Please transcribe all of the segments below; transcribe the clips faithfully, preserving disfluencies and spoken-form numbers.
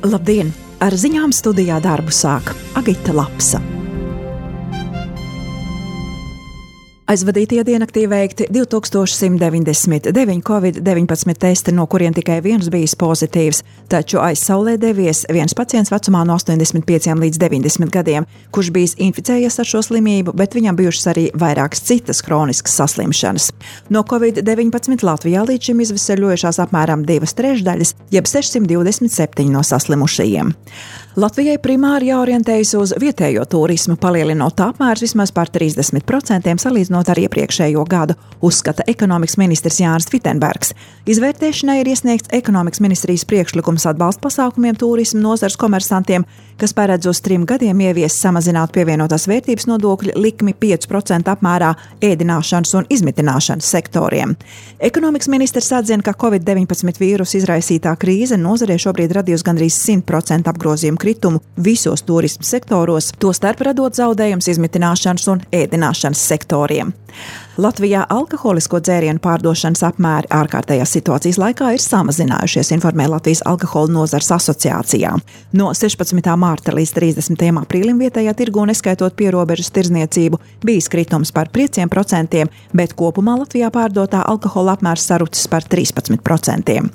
Labdien! Ar ziņām studijā darbu sāk Agita Lapsa. Aizvadītajā diennaktī veikti divi tūkstoši simt deviņdesmit deviņi covid deviņpadsmit testi, no kuriem tikai viens bijis pozitīvs, taču aiz saulē devies viens pacients vecumā no astoņdesmit pieciem līdz deviņdesmit gadiem, kurš bijis inficējies ar šo slimību, bet viņam bijušas arī vairākas citas kroniskas saslimšanas. No covid deviņpadsmit Latvijā līdz šim izveseļojušās apmēram divas trešdaļas, jeb sešsimt divdesmit septiņi no saslimušajiem. Latvijai primāri jāorientējas uz vietējo turismu, palielinot apmērus vismaz par trīsdesmit procentiem salīdzinot ar iepriekšējo gadu, uzskata ekonomikas ministrs Jānis Vitenbergs. Izvērtēšanai ir iesniegts ekonomikas ministrijas priekšlikums atbalsta pasākumiem turismu nozares komersantiem, kas paredz uz trim gadiem ieviest samazināt pievienotās vērtības nodokļa likmi pieci procenti apmērā ēdināšanas un izmitināšanas sektoriem. Ekonomikas ministrs atzina, ka covid deviņpadsmit vīrusa izraisītā krīze nozarē šobrīd radījusi gandrīz simt procentu apgrozījumu kritumu visos turismu sektoros, tostarp radot zaudējums izmitināšanas un ēdināšanas sektoriem. Latvijā alkoholisko dzērienu pārdošanas apmēri ārkārtējās situācijas laikā ir samazinājušies, informē Latvijas alkohola nozares asociācijā. No sešpadsmitā mārta līdz trīsdesmitajam aprīlim vietējā tirgū, neskaitot pierobežas tirdzniecību, bijis kritums par pieciem procentiem, bet kopumā Latvijā pārdotā alkohola apmērs sarucis par trīspadsmit procentiem.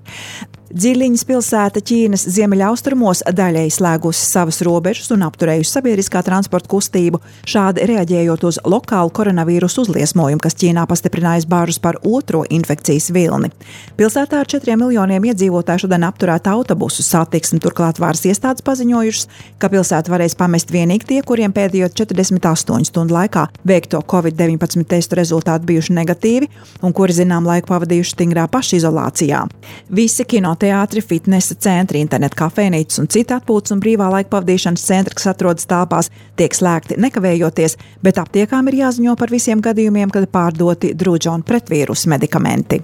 Dziļiņas pilsēta Ķīnas ziemeļaustrumos daļēji slēgusi savas robežas un apturējusi sabiedriskā transporta kustību, šādi reaģējot uz lokālu koronavīrusu uzliesmojumu, kas Ķīnā pastiprinājas bāžas par otro infekcijas vilni. Pilsētā ar četriem miljoniem iedzīvotāju šodien apturēta autobusu satiksme, turklāt varas iestādes paziņojušas, ka pilsētu varēs pamest vienīgi tie, kuriem pēdējo četrdesmit astoņu stundu laikā veikto covid deviņpadsmit testu rezultāti bijuši negatīvi un kuri zinām laiku pavadījuši stingrā pašizolācijā. Visi kino teātri, fitnesa centri, internet kafejnīcas un citi atpūtas un brīvā laika pavadīšanas centri, kas atrodas telpās, tiek slēgti nekavējoties, bet aptiekām ir jāziņo par visiem gadījumiem, kad pārdoti drudža un pretvīrusu medikamenti.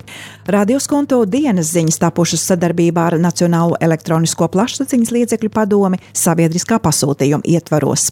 Radio Skunto dienas ziņas tapušas sadarbībā ar Nacionālo elektronisko plašsaziņas līdzekļu padomi sabiedriskā pasūtījuma ietvaros.